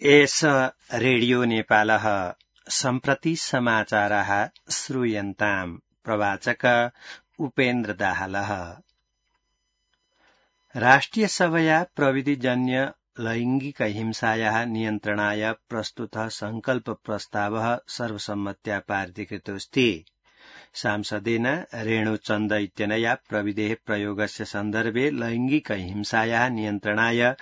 एष रेडियो नेपालः सम्प्रति समाचारः श्रूयन्ताम्। प्रवाचक उपेन्द्र दाहालः। राष्ट्रियसभया प्रविधिजन्य लैंगिक हिंसायाः नियन्त्रणाय प्रस्तुतः संकल्प प्रस्तावः सर्वसम्मत्या पारितीकृतोऽस्ति। सांसदेन रेणुचन्द इत्यनया प्रविधेः प्रयोगस्य सन्दर्भे लैंगिक हिंसायाः नियन्त्रणाय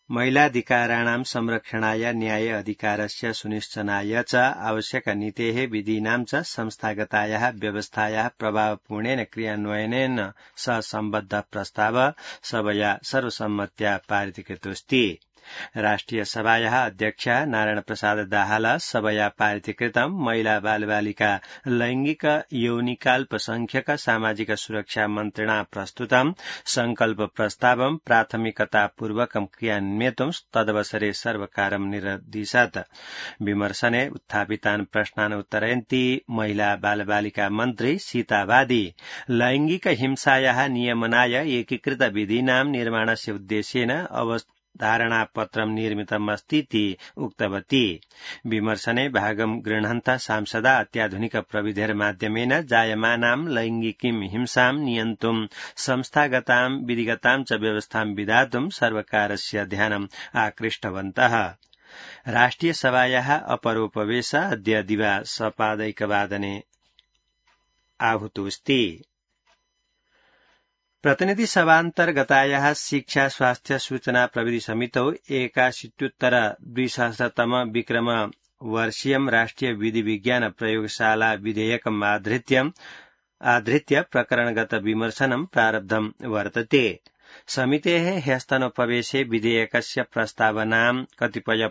महिलाधिकाराणां संरक्षणाय न्याय अधिकारस्य सुनिश्चनाय च आवश्यकनीतेः विधीनां च संस्थागतायाः व्यवस्थायाः प्रभावपूर्णेन क्रियान्वयनेन सह सम्बद्ध प्रस्ताव सभया सर्वसम्मत्या पारितीकृतोऽस्ति। राष्ट्रियसभायाः अध्यक्ष नारायण प्रसाद दाहाल सभया पारितीकृतं महिला बालबालिका लैंगिक यौनिकाल्पसंख्यक सामाजिक सुरक्षा मन्त्रिणा प्रस्तुतं संकल्प प्रस्तावं प्राथमिकतापूर्वकं क्रियान्वेतुं तदवसरे सर्वकारं निर्दिशत्। विमर्शने उत्थापितान् प्रश्नान् उत्तरयन्ती महिला बालबालिका मन्त्री सीता वादी लैंगिक हिंसायाः नियमनाय एकीकृत विधीनां निर्माणस्य उद्देश्येन धारणापत्रं निर्मितमस्तीति उक्तवती। विमर्शने भागं गृह्णन्तः सांसदा अत्याधुनिक प्रविधेर्माध्यमेन जायमानां लैंगिकीं हिंसां नियन्तुं संस्थागतां विधिगतां च व्यवस्थां विधातुं सर्वकारस्य ध्यानम् आकृष्टवन्तः। राष्ट्रियसभायाः अपरोपवेश अद्य दिवा सपादैकवादने आहूतोऽस्ति। प्रतिनिधि सभान्तर्गतायाः शिक्षा स्वास्थ्य सूचना प्रविधि समितौ 81-2000 विक्रम वर्षीयं राष्ट्रिय विधि विज्ञान प्रयोगशाला विधेयकम् आधृत्य प्रकरणगत विमर्शनं प्रारब्धं वर्तते। समितेः ह्यस्तनोपवेशे विधेयकस्य प्रस्तावनां कतिपय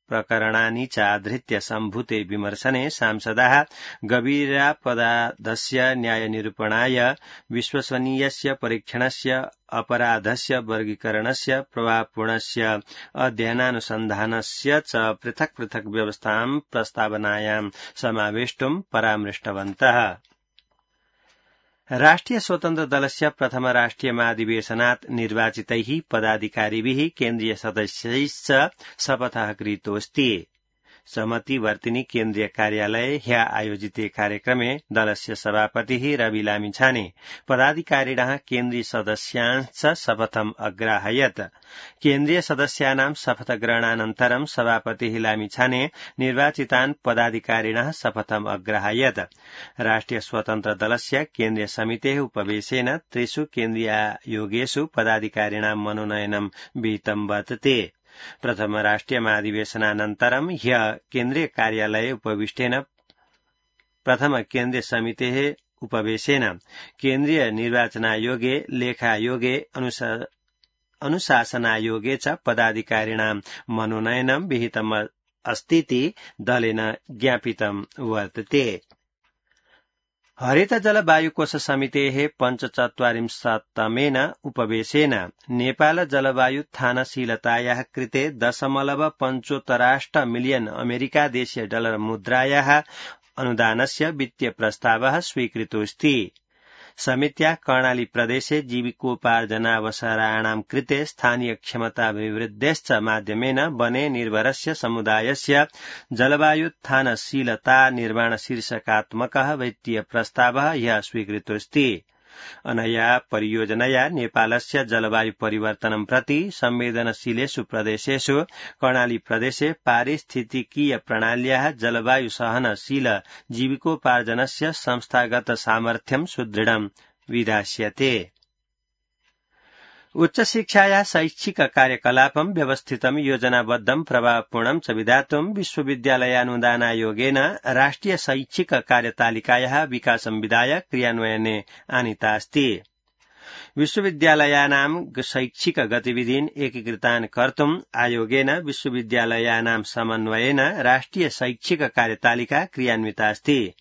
प्रकरणानि च आधृत्य सम्भूते विमर्शने सांसदाः गभीरापराधस्य न्यायनिरूपणाय विश्वसनीयस्य परीक्षणस्य अपराधस्य वर्गीकरणस्य प्रभावपूर्णस्य अध्ययनानुसन्धानस्य च पृथक् पृथक् व्यवस्थां प्रस्तावनायां समावेष्टुं परामृष्टवन्तः। राष्ट्रिय स्वतन्त्र दलस्य प्रथम राष्ट्रिय महाधिवेशनात् निर्वाचितैः पदाधिकारिभिः केन्द्रीय सदस्यैश्च शपथः कृतोऽस्ति। समतिवर्तिनी केन्द्रीय कार्यालये ह्यः आयोजिते कार्यक्रमे दलस्य सभापतिः रवि लामिछाने पदाधिकारिणः केन्द्रीय सदस्यांश्च शपथम् अग्राहयत्। केन्द्रीय सदस्यानां शपथग्रहणानन्तरं सभापतिः लामिछाने निर्वाचितान् पदाधिकारिणः शपथम् अग्राहयत्। राष्ट्रिय स्वतन्त्र दलस्य केन्द्रीय समितेः उपवेशेन 3 केन्द्रीयायोगेषु पदाधिकारिणां मनोनयनं विहितं वर्तते। प्रथम राष्ट्रिय महाधिवेशनानन्तरं ह्यः केन्द्रीय कार्यालये उपविष्टेन प्रथम केन्द्रीय समितेः उपवेशेन केन्द्रीय निर्वाचनायोगे लेखायोगे अनुशासनायोगे च पदाधिकारिणां मनोनयनं विहितम् अस्तीति दलेन ज्ञापितं वर्तते। हरित जल वायुकोष समितेः 45तमेन उपवेशेन नेपाल जलवायुत्थानशीलतायाः कृते 0.75 मिलियन अमेरिकादेशीय डलर मुद्रायाः अनुदानस्य वित्तीय प्रस्तावः स्वीकृतोऽस्ति। समित्या कर्णाली प्रदेशे जीविकोपार्जनावसराणां कृते स्थानीय क्षमताभिवृद्धेश्च माध्यमेन वने निर्भरस्य समुदायस्य जलवायुत्थानशीलता निर्माण शीर्षकात्मकः वित्तीय प्रस्तावः ह्यः स्वीकृतोऽस्ति। अनया परियोजनया नेपालस्य जलवायु परिवर्तनं प्रति संवेदनशीलेषु प्रदेशेषु कर्णाली प्रदेशे पारिस्थितिकीय प्रणाल्याः जलवायु सहनशील जीविकोपार्जनस्य संस्थागत सामर्थ्यं सुदृढं विधास्यते। उच्चशिक्षायाः शैक्षिक कार्यकलापं व्यवस्थितं योजनाबद्धं प्रभावपूर्णं च विधातुं विश्वविद्यालयानुदानायोगेन राष्ट्रिय शैक्षिक कार्यतालिकायाः विकासं विधाय क्रियान्वयने आनीता अस्ति। विश्वविद्यालयानां शैक्षिक गतिविधीन् एकीकृतान् कर्तुं आयोगेन विश्वविद्यालयानां समन्वयेन राष्ट्रिय शैक्षिक कार्यतालिका क्रियान्विता अस्ति।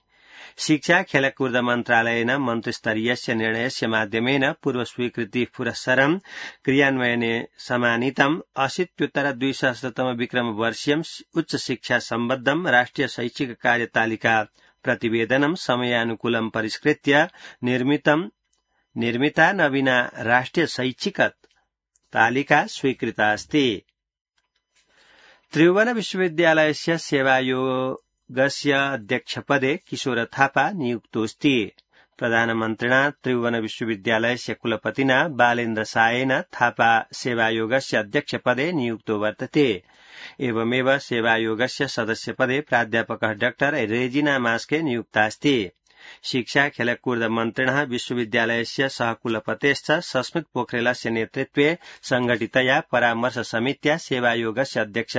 शिक्षा खेलकूद मन्त्रालयेन मन्त्रिस्तरीयस्य निर्णयस्य माध्यमेन पूर्वस्वीकृति पुरस्सरं क्रियान्वयने समानीतं 80-2000 विक्रम वर्षीयं उच्च शिक्षा सम्बद्धं राष्ट्रिय शैक्षिक कार्यतालिका प्रतिवेदनं समयानुकूलं परिष्कृत्य निर्मितं निर्मिता नवीना राष्ट्रिय शैक्षिक तालिका स्वीकृता अस्ति। त्रिभुवन विश्वविद्यालयस्य सेवायोगस्य अध्यक्षपदे किशोर थापा नियुक्तोऽस्ति। प्रधानमन्त्रिणा त्रिभुवन विश्वविद्यालयस्य कुलपतिना बालेन्द्र सायेन थापा सेवायोगस्य अध्यक्षपदे नियुक्तो वर्तते। एवमेव सेवायोगस्य सदस्यपदे प्राध्यापकः डॉ रेजिना मास्के नियुक्तास्ति। शिक्षा खेलकूद मन्त्रिणः विश्वविद्यालयस्य सहकुलपतेश्च सस्मित पोखरेलस्य नेतृत्वे संघटितया परामर्श समित्या सेवायोगस्य अध्यक्ष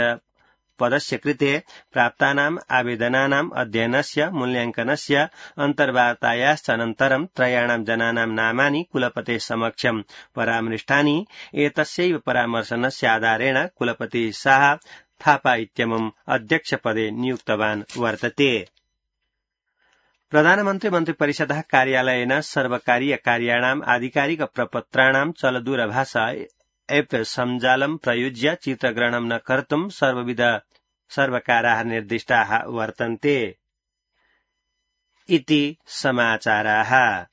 पदस्य कृते प्राप्तानाम् आवेदनानाम् अध्ययनस्य मूल्याङ्कनस्य अन्तर्वार्तायाश्च अनन्तरं त्रयाणां जनानां नामानि कुलपतेः समक्षं परामृष्टानि। एतस्यैव परामर्शनस्य आधारेण कुलपतिः शाह थापा इत्यमुम् अध्यक्षपदे नियुक्तवान् वर्तते। प्रधानमन्त्री मन्त्रिपरिषदः कार्यालयेन सर्वकारीय कार्याणाम् आधिकारिक प्रपत्राणां चलदूरभाषा एप् सञ्जालं प्रयुज्य चित्रग्रहणं न कर्तुं सर्वकाराः निर्दिष्टाः वर्तन्ते इति समाचाराः।